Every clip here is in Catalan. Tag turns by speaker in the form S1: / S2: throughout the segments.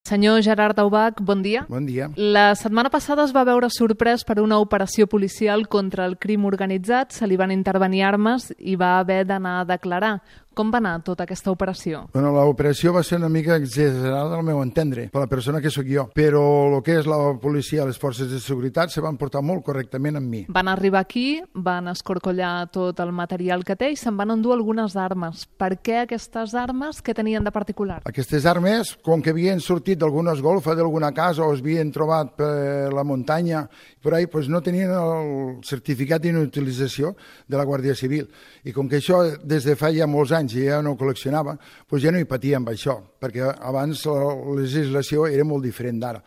S1: Senyor Gerard Daubach, bon dia.
S2: Bon dia.
S1: La setmana passada es va veure sorprès per una operació policial contra el crim organitzat, se li van intervenir armes i va haver d'anar a declarar. Com va anar tota aquesta operació?
S2: Bueno, l'operació va ser una mica exagerada al meu entendre, per la persona que sóc jo, però el que és la policia, les forces de seguretat, se van portar molt correctament amb mi.
S1: Van arribar aquí, van escorcollar tot el material que té i se'n van endur algunes armes. Per què aquestes armes? Què tenien de particular?
S2: Aquestes armes, com que havien sortit d'alguna golfa d'alguna casa o es havien trobat per la muntanya, per ahí, pues no tenien el certificat d'inutilització de la Guàrdia Civil. I com que això des de fa ja molts anys ja no col·leccionava, pues ja no hi patia amb això, perquè abans la legislació era molt diferent d'ara.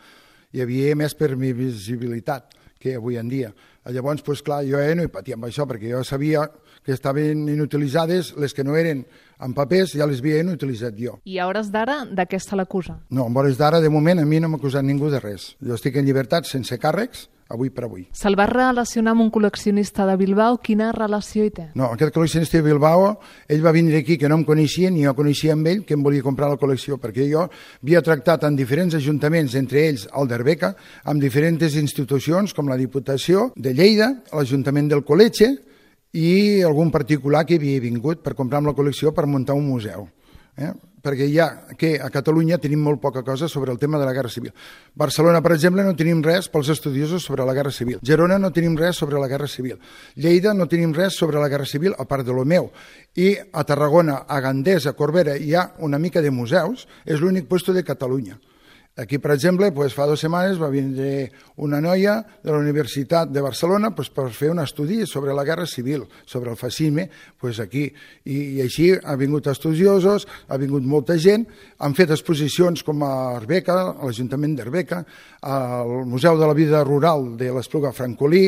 S2: Hi havia més permissibilitat que avui en dia. Llavors, pues clar, jo ja no hi patia amb això, perquè jo sabia que estaven inutilitzades, les que no eren en papers ja les havia inutilitzat jo.
S1: I a hores d'ara, de què se l'acusa?
S2: No, en hores d'ara, de moment, a mi no m'ha acusat ningú de res. Jo estic en llibertat, sense càrrecs, avui per avui.
S1: Se'l va relacionar amb un col·leccionista de Bilbao. Quina relació hi té?
S2: No, aquest col·leccionista de Bilbao, ell va vindre aquí que no em coneixia, ni jo coneixia amb ell, que em volia comprar la col·lecció, perquè jo havia tractat en diferents ajuntaments, entre ells el d'Arbeca, amb diferents institucions, com la Diputació de Lleida, l'Ajuntament del Col·letge, i algun particular que havia vingut per comprar amb la col·lecció per muntar un museu. Perquè ja que a Catalunya tenim molt poca cosa sobre el tema de la Guerra Civil. Barcelona, per exemple, no tenim res pels estudiosos sobre la Guerra Civil. Girona no tenim res sobre la Guerra Civil. Lleida no tenim res sobre la Guerra Civil, a part de lo meu. I a Tarragona, a Gandés, a Corbera, hi ha una mica de museus, és l'únic puesto de Catalunya. Aquí, per exemple, fa 2 setmanes va vindre una noia de la Universitat de Barcelona per fer un estudi sobre la Guerra Civil, sobre el fascisme, aquí. I així ha vingut estudiosos, ha vingut molta gent, han fet exposicions com a Arbeca, a l'Ajuntament d'Arbeca, al Museu de la Vida Rural de l'Espluga Francolí,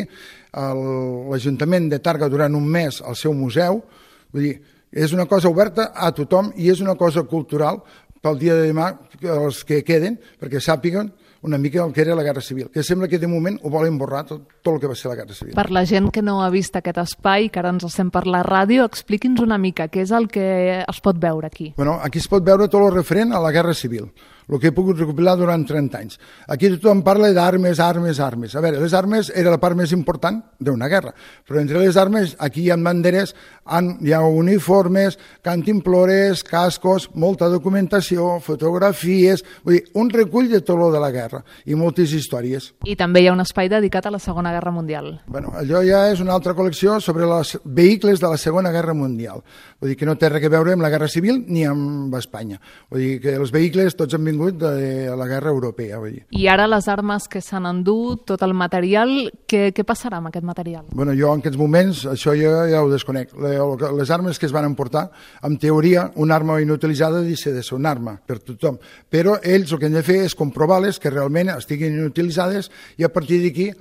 S2: l'Ajuntament de Tàrrega durant un mes al seu museu. Vull dir, és una cosa oberta a tothom i és una cosa cultural pel dia de demà, els que queden, perquè sàpiguen una mica el que era la Guerra Civil, que sembla que de moment ho volen borrar tot el que va ser la Guerra Civil.
S1: Per la gent que no ha vist aquest espai, que ara ens sent per la ràdio, expliqui'ns una mica què és el que es pot veure aquí.
S2: Bueno, aquí es pot veure tot el referent a la Guerra Civil, el que he pogut recopilar durant 30 anys. Aquí tothom parla d'armes, armes, armes. A veure, les armes era la part més important d'una guerra, però entre les armes aquí hi ha banderes, hi ha uniformes, cantimplores, cascos, molta documentació, fotografies, vull dir, un recull de tot lo de la guerra i moltes històries.
S1: I també hi ha un espai dedicat a la Segona Guerra Mundial.
S2: Bueno, allò ja és una altra col·lecció sobre els vehicles de la Segona Guerra Mundial. Vull dir que no té res a veure amb la Guerra Civil ni amb Espanya. Vull dir que els vehicles tots han vingut de la Guerra Europea. Vull dir.
S1: I ara les armes que s'han endut, tot el material, què passarà amb aquest material?
S2: Bueno, jo en aquests moments, això ja ho desconec. Les armes que es van emportar, en teoria, una arma inutilitzada deixa de ser una arma per tothom. Però ells el que han de fer és comprovar-les que realment estiguin inutilitzades i a partir d'aquí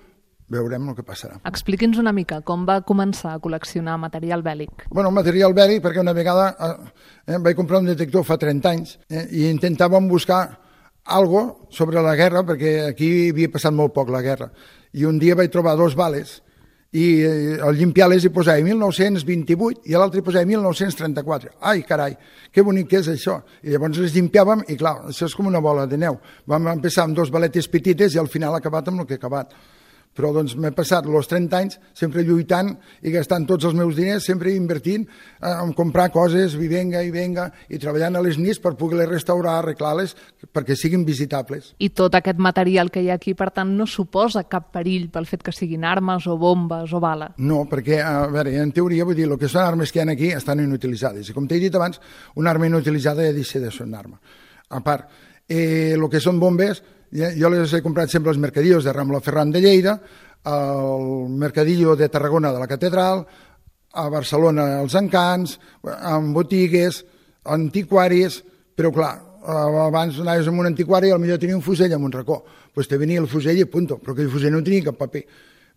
S2: veurem el que passarà.
S1: Expliqui'ns una mica com va començar a col·leccionar material bèl·lic.
S2: Bueno, material bèl·lic perquè una vegada vaig comprar un detector fa 30 anys i intentàvem buscar algo sobre la guerra perquè aquí havia passat molt poc la guerra. I un dia vaig trobar 2 bales i al limpiar-les hi posava 1928 i a l'altre hi posava 1934. Ai, carai, que bonic que és això. I llavors les limpiàvem i clar, això és com una bola de neu. Vam empezar amb 2 baletes petites i al final ha acabat amb el que ha acabat. Però doncs m'he passat els 30 anys sempre lluitant i gastant tots els meus diners, sempre invertint en comprar coses, i venga, i treballant a les nits per poder-les restaurar, arreglar-les, perquè siguin visitables.
S1: I tot aquest material que hi ha aquí, per tant, no suposa cap perill pel fet que siguin armes o bombes o bales?
S2: No, perquè, a veure, en teoria, vull dir, el que són armes que hi ha aquí estan inutilitzades. I com t'he dit abans, una arma inutilitzada ja deixa de ser una arma. A part, el que són bombes, jo les he comprat sempre als mercadillos de Rambla Ferran de Lleida, al mercadillo de Tarragona de la Catedral, a Barcelona als Encants, en botigues, antiquaris, però clar, abans anaves a un antiquari i potser tenia un fusell en un racó. Doncs te venia el fusell i punto, però aquell fusell no tenia cap paper.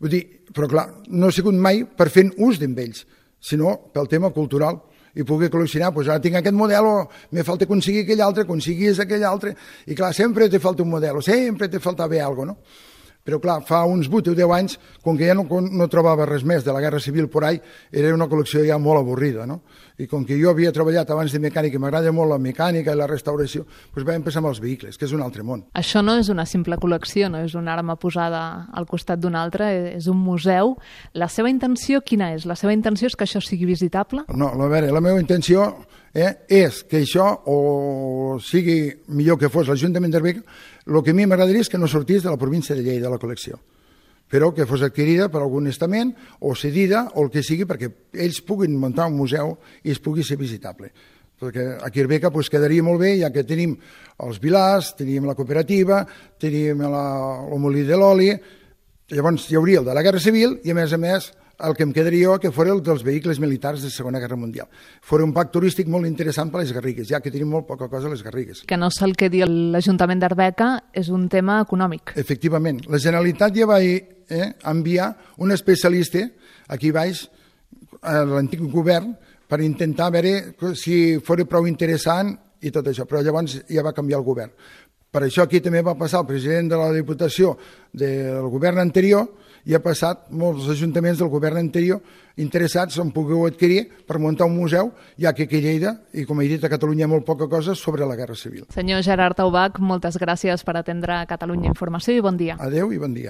S2: Vull dir, però clar, no he sigut mai per fer ús d'ells, sinó pel tema cultural. I pugui col·leccionar, doncs ara tinc aquest model, me falta aconseguir aquell altre, aconseguís aquell altre, i clar, sempre te falta un model, sempre te faltava alguna cosa, no? Però clar, fa uns 8 o 10 anys, com que ja no trobava res més de la Guerra Civil por ahí, era una col·lecció ja molt avorrida, no? I com que jo havia treballat abans de mecànica i m'agrada molt la mecànica i la restauració, doncs vam pensar en els vehicles, que és un altre món.
S1: Això no és una simple col·lecció, no és una arma posada al costat d'una altra, és un museu. La seva intenció quina és? La seva intenció és que això sigui visitable?
S2: No, a veure, la meva intenció és que això o sigui millor que fos l'Ajuntament d'Arbeca, el que a mi m'agradaria és que no sortís de la província de Lleida, de la col·lecció, però que fos adquirida per algun estament o cedida o el que sigui perquè ells puguin muntar un museu i es pugui ser visitable. Perquè aquí a Arbeca quedaria molt bé, ja que tenim els Vilars, tenim la cooperativa, tenim el molí de l'oli, llavors hi hauria el de la Guerra Civil i a més el que em quedaria que fos el dels vehicles militars de la Segona Guerra Mundial. Fora un parc turístic molt interessant per a les Garrigues, ja que tenim molt poca cosa a les Garrigues.
S1: Que no se'l quedi l'Ajuntament d'Arbeca és un tema econòmic.
S2: Efectivament. La Generalitat ja va enviar un especialista aquí baix, a l'antic govern, per intentar veure si fos prou interessant i tot això, però llavors ja va canviar el govern. Per això aquí també va passar el president de la Diputació del govern anterior i ha passat molts ajuntaments del govern anterior interessats en poder adquirir per muntar un museu, ja que aquí a Lleida, i com he dit a Catalunya, hi ha molt poca cosa sobre la Guerra Civil.
S1: Senyor Gerard Taubach, moltes gràcies per atendre Catalunya Informació i bon dia.
S2: Adéu i bon dia.